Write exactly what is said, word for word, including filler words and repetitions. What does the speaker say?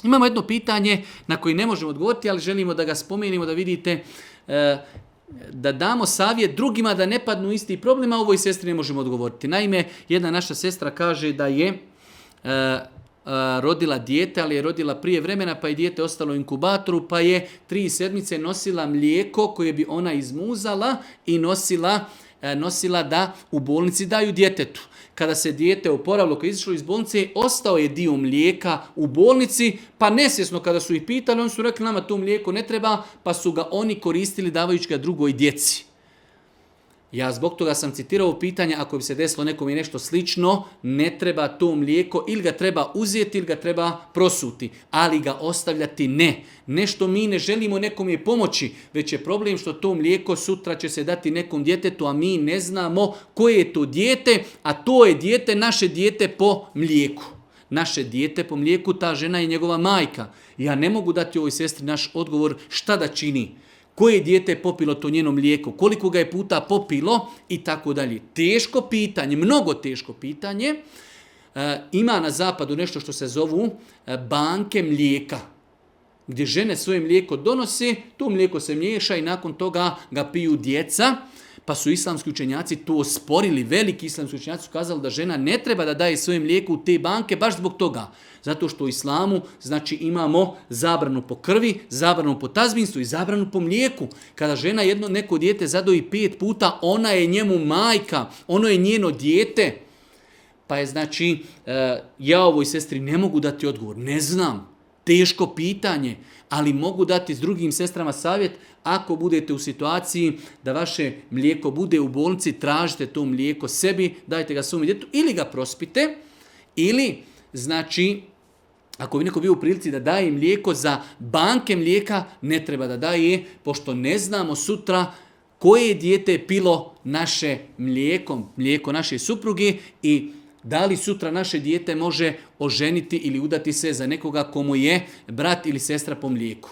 Imamo jedno pitanje na koje ne možemo odgovoriti, ali želimo da ga spomenimo, da vidite, da damo savjet drugima da ne padnu isti problem, a ovoj sestri ne možemo odgovoriti. Naime, jedna naša sestra kaže da je rodila dijete, ali je rodila prije vremena, pa je dijete ostalo u inkubatoru, pa je tri sedmice nosila mlijeko koje bi ona izmuzala i nosila, nosila da u bolnici daju djetetu. Kada se dijete oporavilo, kada je izišlo iz bolnice, ostao je dio mlijeka u bolnici, pa nesvjesno kada su ih pitali, oni su rekli nama to mlijeko ne treba, pa su ga oni koristili davajući ga drugoj djeci. Ja zbog toga sam citirao pitanje, ako bi se desilo nekom i nešto slično, ne treba to mlijeko, ili ga treba uzeti, ili ga treba prosuti, ali ga ostavljati ne. Nešto mi ne želimo nekom je pomoći, već je problem što to mlijeko sutra će se dati nekom djetetu, a mi ne znamo koje je to dijete, a to je dijete, naše dijete po mlijeku. Naše dijete po mlijeku, ta žena je njegova majka. Ja ne mogu dati ovoj sestri naš odgovor šta da čini. Koje dijete je popilo to njeno mlijeko, koliko ga je puta popilo i tako dalje. Teško pitanje, mnogo teško pitanje. E, ima na zapadu nešto što se zovu banke mlijeka, gdje žene svoje mlijeko donose, to mlijeko se miješa i nakon toga ga piju djeca. Pa su islamski učenjaci to osporili, veliki islamski učenjaci su kazali da žena ne treba da daje svoje mlijeko u te banke baš zbog toga. Zato što u islamu znači imamo zabranu po krvi, zabranu po tazbinstvu i zabranu po mlijeku. Kada žena jedno neko dijete zadoji pet puta, ona je njemu majka, ono je njeno dijete. Pa je znači, ja ovoj sestri ne mogu dati odgovor, ne znam, teško pitanje, ali mogu dati s drugim sestrama savjet. Ako budete u situaciji da vaše mlijeko bude u bolnici, tražite to mlijeko sebi, dajte ga svom djetetu ili ga prospite, ili znači ako bi neko bio u prilici da daje mlijeko za banke mlijeka, ne treba da daje, pošto ne znamo sutra koje dijete je pilo naše mlijeko, mlijeko naše supruge i da li sutra naše dijete može oženiti ili udati se za nekoga komu je brat ili sestra po mlijeku.